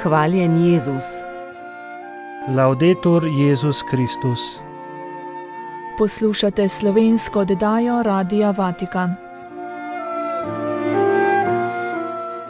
Hvaljen Jezus. Laudetur Jezus Kristus. Poslušate slovensko oddajo Radia Vatikan.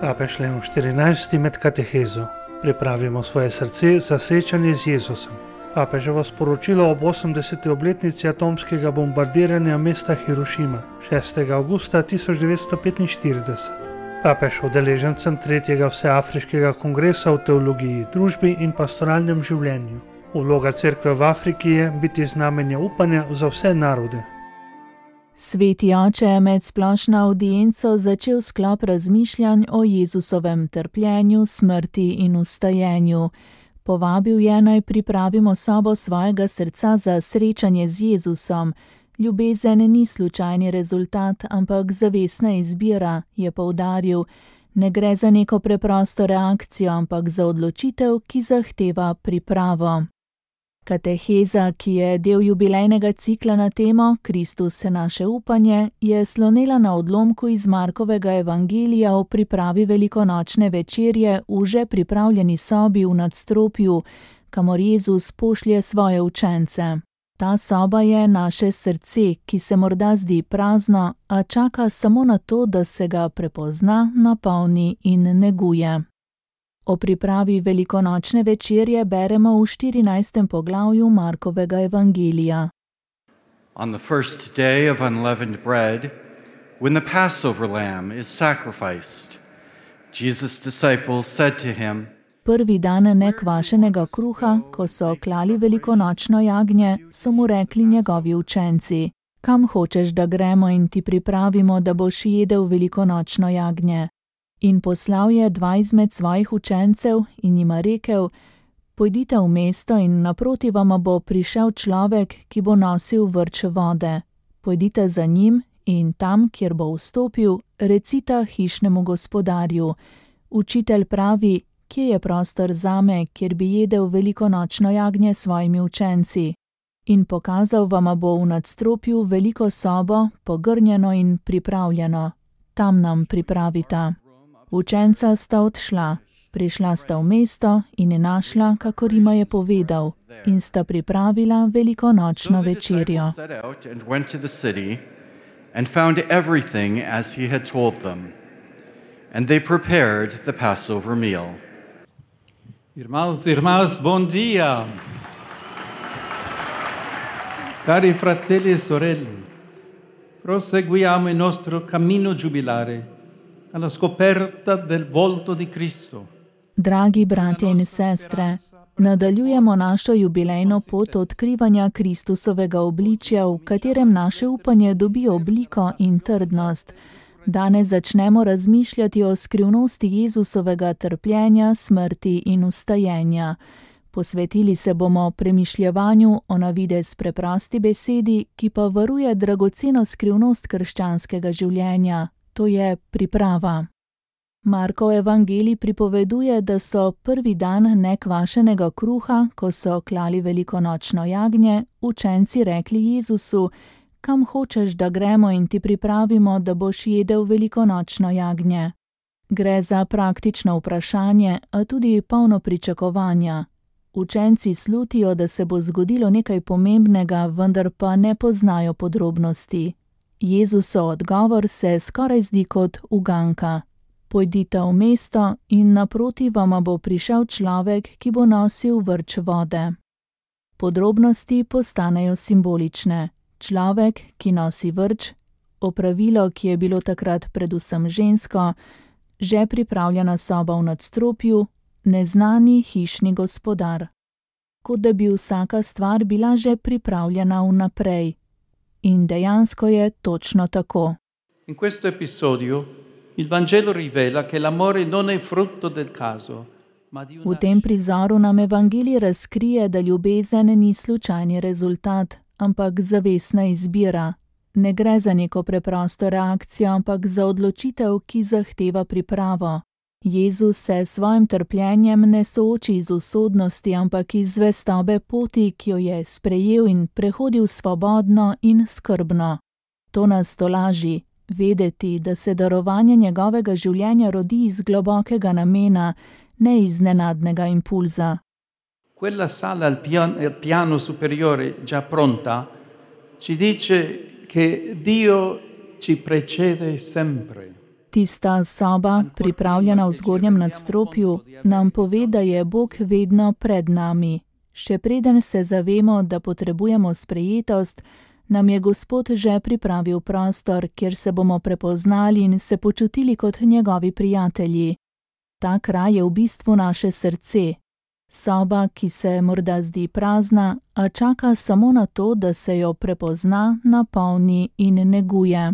Papež Leon XIV med katehezo. Pripravimo svoje srce za srečanje z Jezusom. Papeževo sporočilo ob 80. obletnici atomskega bombardiranja mesta Hirošima 6. avgusta 1945. Papež udeležencem 3. vseafriškega kongresa o teologiji, družbi in pastoralnem življenju. Vloga cerkve v Afriki je biti znamenje upanja za vse narode. Sveti oče je med splošno avdienco začel sklop razmišljanj o Jezusovem trpljenju, smrti in vstajenju. Povabil je, naj pripravimo sobo svojega srca za srečanje z Jezusom. Ljubezen ni slučajni rezultat, ampak zavestna izbira, je poudaril. Ne gre za neko preprosto reakcijo, ampak za odločitev, ki zahteva pripravo. Kateheza, ki je del jubilejnega cikla na temo Kristus je naše upanje, je slonela na odlomku iz Markovega evangelija o pripravi velikonočne večerje v že pripravljeni sobi v nadstropju, kamor Jezus pošlje svoje učence. Ta soba je naše srce, ki se morda zdi prazno, a čaka samo na to, da se ga prepozna, napolni in neguje. O pripravi velikonočne večerje beremo v 14. poglavju Markovega evangelija. On the first day of unleavened bread, when the Passover lamb is sacrificed, Jesus' disciples said to him, Prvi dan nekvašenega kruha, ko so klali velikonočno jagnje, so mu rekli njegovi učenci: Kam hočeš, da gremo in ti pripravimo, da boš jedel velikonočno jagnje? In poslal je 2 izmed svojih učencev in jima rekel: Pojdite v mesto in naproti vama bo prišel človek, ki bo nosil vrč vode. Pojdite za njim in tam, kjer bo vstopil, recita hišnemu gospodarju: Učitelj pravi, kje je prostor zame, kjer bi jedel velikonočno jagnje s svojimi učenci. In pokazal vama bo v nadstropju veliko sobo, pogrnjeno in pripravljeno. Tam nam pripravita. Učenca sta odšla, prišla sta v mesto in je našla, kakor jima je povedal, in sta pripravila velikonočno večerjo. Irmãos, bom dia! Cari fratelli e sorelle, proseguiamo il nostro cammino giubilare alla scoperta del volto di Cristo. Dragi bratje in sestre, nadaljujemo našo jubilejno pot odkrivanja Kristusovega obličja, v katerem naše upanje dobi obliko in trdnost. Danes začnemo razmišljati o skrivnosti Jezusovega trpljenja, smrti in vstajenja. Posvetili se bomo premišljevanju o na videz preprosti besedi, ki pa varuje dragoceno skrivnost krščanskega življenja, to je priprava. Markov evangelij pripoveduje, da so prvi dan nekvašenega kruha, ko so klali velikonočno jagnje, učenci rekli Jezusu: Kam hočeš, da gremo in ti pripravimo, da boš jedel velikonočno jagnje? Gre za praktično vprašanje, a tudi polno pričakovanja. Učenci slutijo, da se bo zgodilo nekaj pomembnega, vendar pa ne poznajo podrobnosti. Jezusov odgovor se skoraj zdi kot uganka. Pojdite v mesto in naproti vama bo prišel človek, ki bo nosil vrč vode. Podrobnosti postanejo simbolične. Človek, ki nosi vrč, opravilo, ki je bilo takrat predvsem žensko, že pripravljena soba v nadstropju, neznani hišni gospodar. Kot da bi vsaka stvar bila že pripravljena vnaprej. In dejansko je točno tako. In questo episodio il Vangelo rivela che l'amore non è frutto del caso, ma di una... V tem prizoru nam evangelij razkrije, da ljubezen ni slučajni rezultat, ampak zavestna izbira. Ne gre za neko preprosto reakcijo, ampak za odločitev, ki zahteva pripravo. Jezus se s svojim trpljenjem ne sooči iz usodnosti, ampak iz zvestobe poti, ki jo je sprejel in prehodil svobodno in skrbno. To nas tolaži, vedeti, da se darovanje njegovega življenja rodi iz globokega namena, ne iz nenadnega impulza. Quella sala al piano superiore già pronta ci dice che Dio ci precede sempre. Tista soba, pripravljena v zgornjem nadstropju, nam pove, da je Bog vedno pred nami. Še preden se zavemo, da potrebujemo sprejetost, nam je Gospod že pripravil prostor, kjer se bomo prepoznali in se počutili kot njegovi prijatelji. Ta kraj je v bistvu naše srce. Soba, ki se morda zdi prazna, a čaka samo na to, da se jo prepozna, napolni in neguje.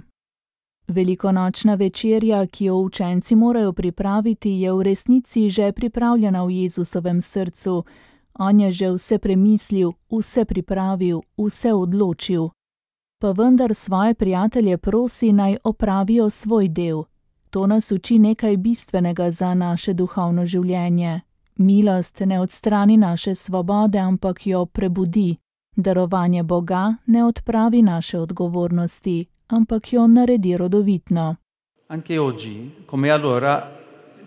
Velikonočna večerja, ki jo učenci morajo pripraviti, je v resnici že pripravljena v Jezusovem srcu. On je že vse premislil, vse pripravil, vse odločil. Pa vendar svoje prijatelje prosi, naj opravijo svoj del. To nas uči nekaj bistvenega za naše duhovno življenje. Milost ne odstrani naše svobode, ampak jo prebudi. Darovanje Boga ne odpravi naše odgovornosti, ampak jo naredi rodovitno. Anche oggi, come allora,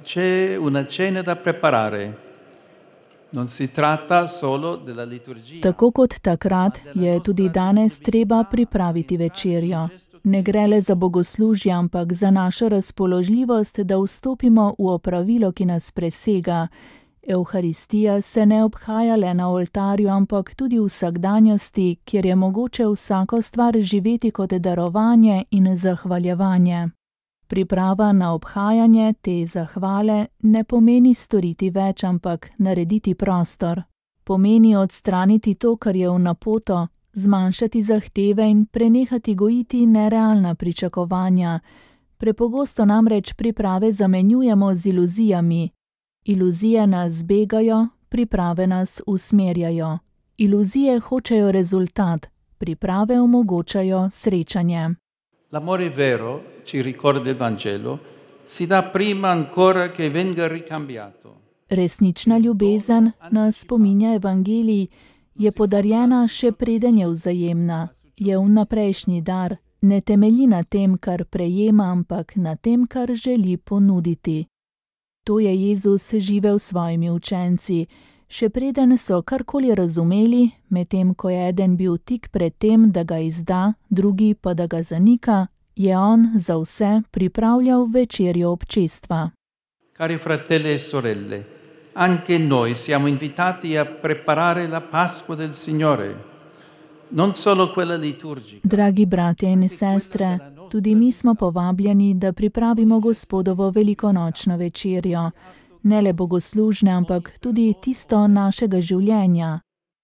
c'è una cena da preparare. Non si tratta solo della liturgia. Tako kot takrat je tudi danes treba pripraviti večerjo. Ne gre le za bogoslužje, ampak za našo razpoložljivost, da vstopimo v opravilo, ki nas presega. Evharistija se ne obhaja le na oltarju, ampak tudi v vsakdanjosti, kjer je mogoče vsako stvar živeti kot darovanje in zahvaljevanje. Priprava na obhajanje te zahvale ne pomeni storiti več, ampak narediti prostor. Pomeni odstraniti to, kar je v napoto, zmanjšati zahteve in prenehati gojiti nerealna pričakovanja. Prepogosto namreč priprave zamenjujemo z iluzijami. Iluzije nas begajo, priprave nas usmerjajo. Iluzije hočejo rezultat, priprave omogočajo srečanje. L'amore vero, ci ricorda il Vangelo, si dà prima ancora che venga ricambiato. Resnična ljubezen, nas spominja Evangelij, je podarjena še preden je vzajemna, je vnaprejšnji dar, ne temelji na tem, kar prejema, ampak na tem, kar želi ponuditi. To je Jezus živel s svojimi učenci, še preden so karkoli razumeli, medtem ko je eden bil tik pred tem, da ga izda, drugi pa da ga zanika, je on za vse pripravljal večerjo občestva. Cari fratelli e sorelle, anche noi siamo invitati a preparare la Pasqua del Signore, non solo quella liturgica. Dragi bratje in sestre, tudi mi smo povabljeni, da pripravimo Gospodovo velikonočno večerjo. Ne le bogoslužne, ampak tudi tisto našega življenja.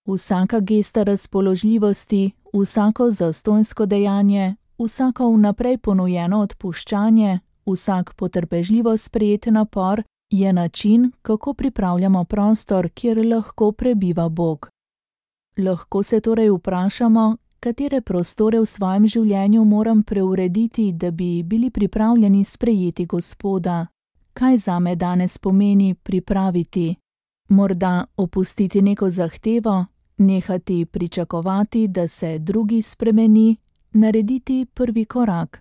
Vsaka gesta razpoložljivosti, vsako zastonjsko dejanje, vsako vnaprej ponujeno odpuščanje, vsak potrpežljivo sprejet napor je način, kako pripravljamo prostor, kjer lahko prebiva Bog. Lahko se torej vprašamo, katere prostore v svojem življenju moram preurediti, da bi bili pripravljeni sprejeti Gospoda. Kaj zame danes pomeni pripraviti? Morda opustiti neko zahtevo, nehati pričakovati, da se drugi spremeni, narediti prvi korak.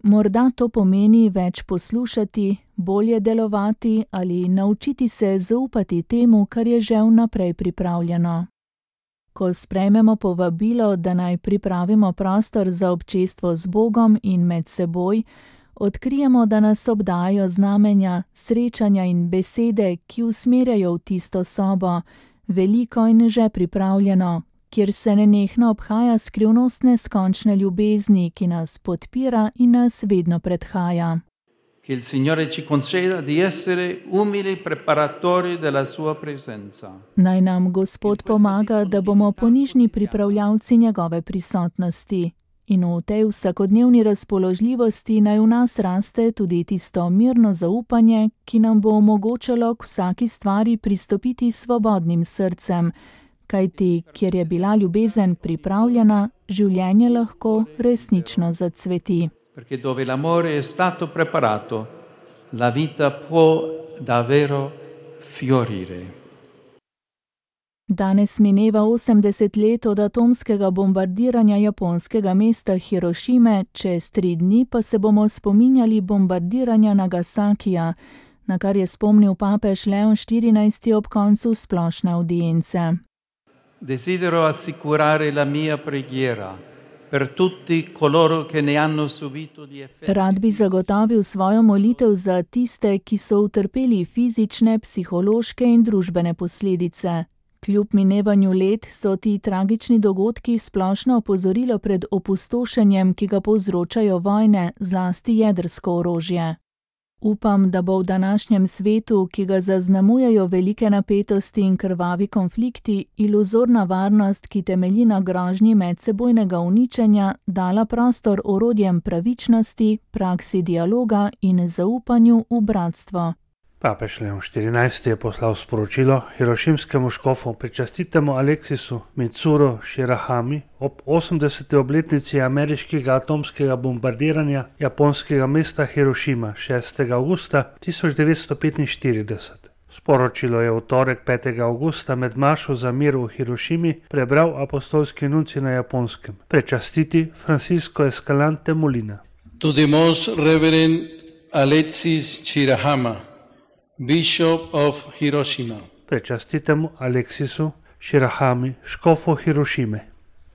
Morda to pomeni več poslušati, bolje delovati ali naučiti se zaupati temu, kar je že vnaprej pripravljeno. Ko sprejmemo povabilo, da naj pripravimo prostor za občestvo z Bogom in med seboj, odkrijemo, da nas obdajajo znamenja, srečanja in besede, ki usmerjajo v tisto sobo, veliko in že pripravljeno, kjer se nenehno obhaja skrivnost neskončne ljubezni, ki nas podpira in nas vedno predhaja. Che il Signore ci conceda di essere umili preparatori della sua presenza. Naj nam Gospod pomaga, da bomo ponižni pripravljavci njegove prisotnosti. In v tej vsakodnevni razpoložljivosti naj v nas raste tudi tisto mirno zaupanje, ki nam bo omogočalo k vsaki stvari pristopiti svobodnim srcem, kajti kjer je bila ljubezen pripravljena, življenje lahko resnično zacveti. Perché dove l'amore è stato preparato, la vita può davvero fiorire. Danes mineva 80 let od atomskega bombardiranja japonskega mesta Hirošime, čez 3 dni pa se bomo spominjali bombardiranja Nagasakija, na kar je spomnil papež Leon XIV ob koncu splošne avdience. Desidero assicurare la mia preghiera per tutti coloro che ne hanno subito gli effetti. Rad bi zagotovil svojo molitev za tiste, ki so utrpeli fizične, psihološke in družbene posledice. Kljub minevanju let so ti tragični dogodki splošno opozorilo pred opustošenjem, ki ga povzročajo vojne, zlasti jedrsko orožje. Upam, da bo v današnjem svetu, ki ga zaznamujejo velike napetosti in krvavi konflikti, iluzorna varnost, ki temelji na grožnji medsebojnega uničenja, dala prostor orodjem pravičnosti, praksi dialoga in zaupanju v bratstvo. Papež Leon XIV je poslal sporočilo hirošimskemu škofu Prečastitemu Aleksisu Mitsuru Shirahami ob 80. obletnici ameriškega atomskega bombardiranja japonskega mesta Hirošima 6. avgusta 1945. Sporočilo je v torek 5. avgusta med mašo za mir v Hirošimi prebral apostolski nuncij na Japonskem, Prečastiti Francisco Escalante Molina. To the most reverend Alexis Shirahama, Bishop of Hiroshima. Prečastitemu Aleksisu Shirahami, škofu Hirošime.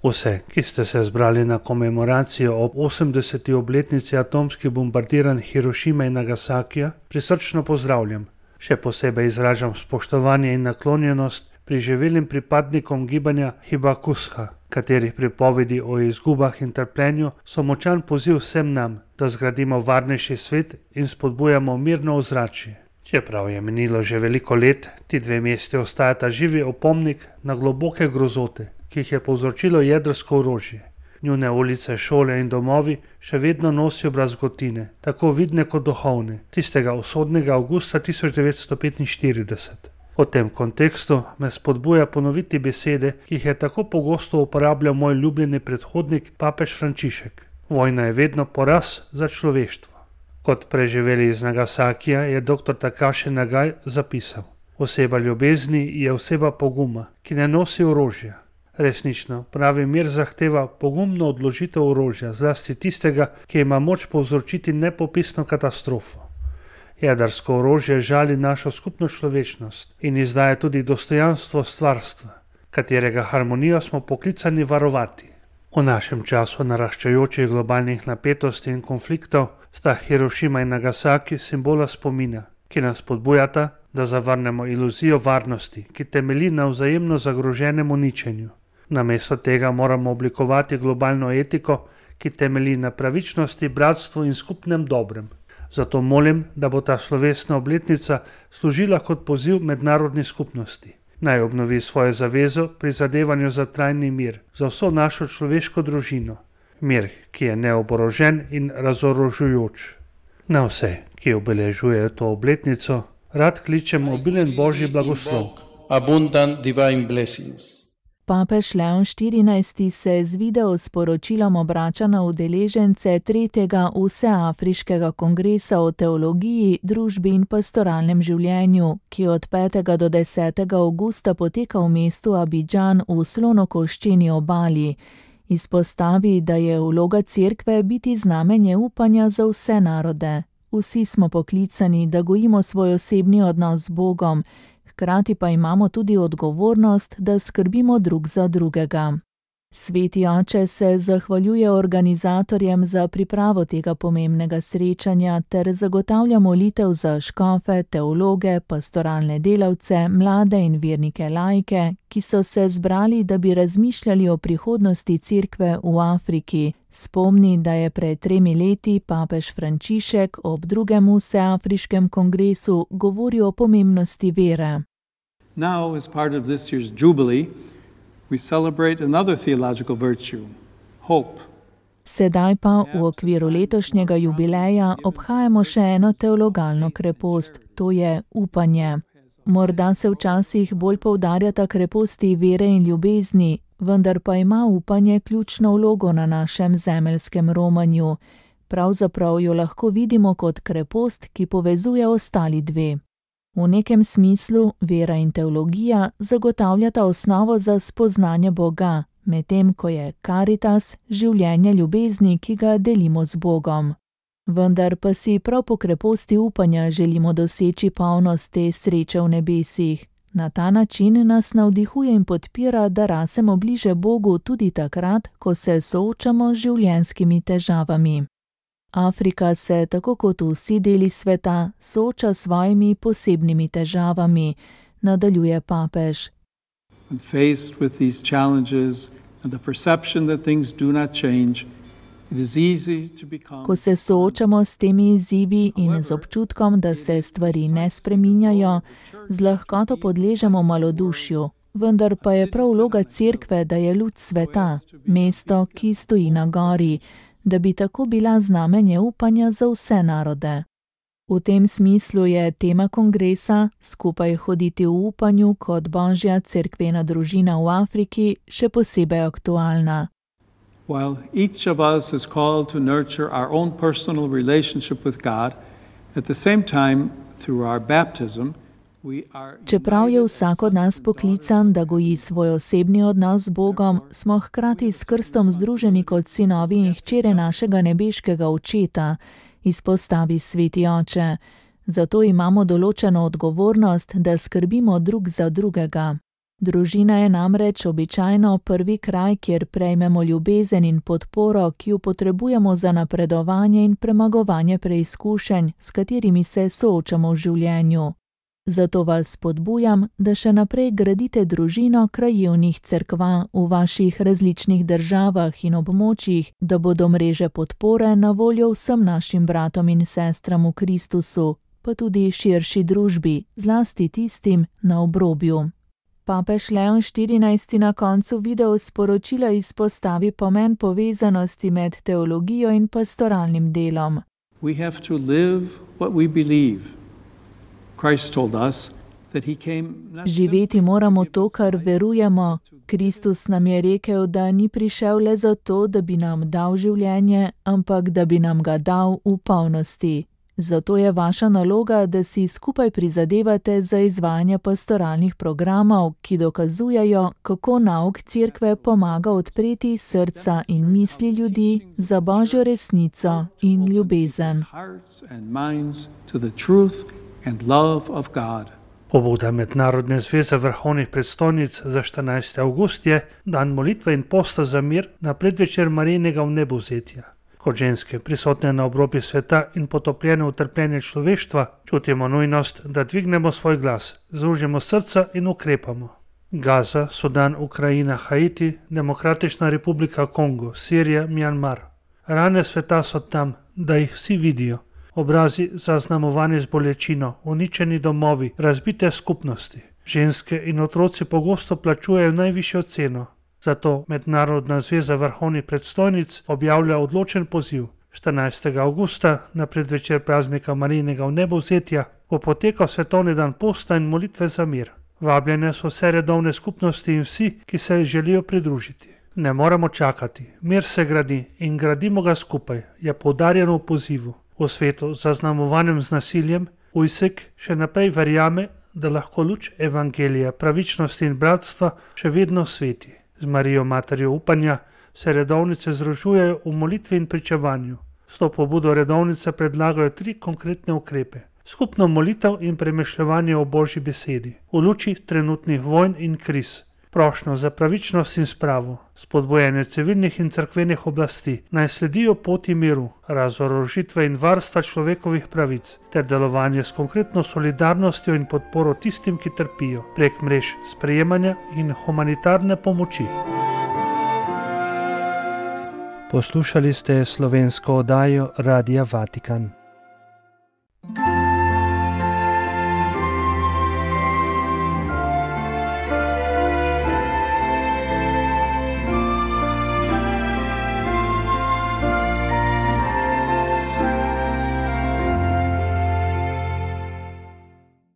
Vse, ki ste se zbrali na komemoracijo ob 80. obletnici atomskih bombardiranj Hirošime in Nagasakija, prisrčno pozdravljam. Še posebej izražam spoštovanje in naklonjenost preživelim pripadnikom gibanja Hibakusha, katerih pripovedi o izgubah in trpljenju so močan poziv vsem nam, da zgradimo varnejši svet in spodbujamo mirno ozračje. Čeprav je minilo že veliko let, ti dve mesti ostajata živi opomnik na globoke grozote, ki jih je povzročilo jedrsko orožje. Njune ulice, šole in domovi še vedno nosijo brazgotine, tako vidne kot duhovne, tistega usodnega avgusta 1945. V tem kontekstu me spodbuja ponoviti besede, ki jih je tako pogosto uporabljal moj ljubljeni predhodnik papež Frančišek. Vojna je vedno poraz za človeštvo. Kot preživeli iz Nagasakija je dr. Takashi Nagai zapisal: oseba ljubezni je oseba poguma, ki ne nosi orožja. Resnično, pravi mir zahteva pogumno odložitev orožja, zlasti tistega, ki ima moč povzročiti nepopisno katastrofo. Jedrsko orožje žali našo skupno človečnost in izdaja tudi dostojanstvo stvarstva, katerega harmonijo smo poklicani varovati. V našem času naraščajočih globalnih napetosti in konfliktov sta Hirošima in Nagasaki simbola spomina, ki nas spodbujata, da zavrnemo iluzijo varnosti, ki temelji na vzajemno zagroženem uničenju. Namesto tega moramo oblikovati globalno etiko, ki temelji na pravičnosti, bratstvu in skupnem dobrem. Zato molim, da bo ta slovesna obletnica služila kot poziv mednarodni skupnosti. Naj obnovi svojo zavezo pri zadevanju za trajni mir, za vso našo človeško družino. Mir, ki je neoborožen in razorožujoč. Na vse, ki obeležujejo to obletnico, rad kličem obilen Božji blagoslov. Abundant divine blessings. Papež Leon XIV se z video sporočilom obrača na udeležence 3. Vseafriškega kongresa o teologiji, družbi in pastoralnem življenju, ki od 5. do 10. avgusta poteka v mestu Abidžan v slonokoščeni obali. Izpostavi, da je vloga cerkve biti znamenje upanja za vse narode. Vsi smo poklicani, da gojimo svoj osebni odnos z Bogom, hkrati pa imamo tudi odgovornost, da skrbimo drug za drugega. Sveti oče se zahvaljuje organizatorjem za pripravo tega pomembnega srečanja ter zagotavlja molitev za škofe, teologe, pastoralne delavce, mlade in vernike laike, ki so se zbrali, da bi razmišljali o prihodnosti cerkve v Afriki. Spomni, da je pred 3 leti papež Frančišek ob 2. Vseafriškem kongresu govoril o pomembnosti vere. Now, as part of this year's Jubilee, we celebrate another theological virtue, hope. Sedaj pa v okviru letošnjega jubileja obhajamo še eno teologalno krepost, to je upanje. Morda se včasih bolj poudarjata kreposti vere in ljubezni, vendar pa ima upanje ključno vlogo na našem zemeljskem romanju. Pravzaprav jo lahko vidimo kot krepost, ki povezuje ostali dve. V nekem smislu vera in teologija zagotavljata osnovo za spoznanje Boga, medtem ko je karitas življenje ljubezni, ki ga delimo z Bogom. Vendar pa si prav po kreposti upanja želimo doseči polnost te sreče v nebesih. Na ta način nas navdihuje in podpira, da rasemo bliže Bogu tudi takrat, ko se soočamo z življenjskimi težavami. Afrika se, tako kot vsi deli sveta, sooča s svojimi posebnimi težavami, nadaljuje papež. When faced with these challenges and the perception that things do not change, it is easy to become... Ko se soočamo s temi izzivi in z občutkom, da se stvari ne spreminjajo, z lahkoto podležemo malodušju, vendar pa je prav vloga cerkve, da je luč sveta, mesto, ki stoji na gori, da bi tako bila znamenje upanja za vse narode. V tem smislu je tema kongresa Skupaj hoditi v upanju kot Božja cerkvena družina v Afriki še posebej aktualna. While each of us is called to nurture our own personal relationship with God, at the same time, through our baptism, Čeprav je vsak od nas poklican, da goji svoj osebni odnos z Bogom, smo hkrati s krstom združeni kot sinovi in hčere našega nebeškega Očeta, izpostavi Sveti Oče. Zato imamo določeno odgovornost, da skrbimo drug za drugega. Družina je namreč običajno prvi kraj, kjer prejmemo ljubezen in podporo, ki jo potrebujemo za napredovanje in premagovanje preizkušenj, s katerimi se soočamo v življenju. Zato vas spodbujam, da še naprej gradite družino krajevnih cerkva v vaših različnih državah in območjih, da bodo mreže podpore na voljo vsem našim bratom in sestram v Kristusu, pa tudi širši družbi, zlasti tistim na obrobju. Papež Leon XIV na koncu video sporočila izpostavi pomen povezanosti med teologijo in pastoralnim delom. We have to live what we believe. Christ told us that he came Živeti moramo to, kar verujemo. Kristus nam je rekel, da ni prišel le zato, da bi nam dal življenje, ampak da bi nam ga dal v polnosti. Zato je vaša naloga, da si skupaj prizadevate za izvajanje pastoralnih programov, ki dokazujejo, kako nauk cerkve pomaga odpreti srca in misli ljudi za Božjo resnico in ljubezen. Pobuda Mednarodne zveze vrhovnih predstojnic za 14. avgust je dan molitve in posta za mir na predvečer Marijinega vnebovzetja. Kot ženske, prisotne na obrobju sveta in potopljene v trpljenje človeštva, čutimo nujnost, da dvignemo svoj glas, združimo srca in ukrepamo. Gaza, Sudan, Ukrajina, Haiti, Demokratična republika Kongo, Sirija, Mjanmar. Rane sveta so tam, da jih vsi vidijo. Obrazi zaznamovani z bolečino, uničeni domovi, razbite skupnosti. Ženske in otroci pogosto plačujejo najvišjo ceno. Zato Mednarodna zveza vrhovnih predstojnic objavlja odločen poziv. 14. avgusta, na predvečer praznika Marijinega vnebovzetja, bo potekal svetovni dan posta in molitve za mir. Vabljene so vse redovne skupnosti in vsi, ki se želijo pridružiti. Ne moremo čakati, mir se gradi in gradimo ga skupaj, je poudarjeno v pozivu. V svetu zaznamovanem z nasiljem, Ujsek še naprej verjame, da lahko luč evangelija, pravičnosti in bratstva še vedno sveti. Z Marijo materjo upanja se redovnice združujejo v molitvi in pričevanju. S to pobudo redovnice predlagajo 3 konkretne ukrepe. Skupno molitev in premišljevanje o Božji besedi, v luči trenutnih vojn in kriz. Prošnjo za pravičnost in spravo, spodbujanje civilnih in cerkvenih oblasti, naj sledijo poti miru, razorožitve in varstva človekovih pravic, ter delovanje s konkretno solidarnostjo in podporo tistim, ki trpijo, prek mrež sprejemanja in humanitarne pomoči. Poslušali ste slovensko oddajo Radia Vatikan.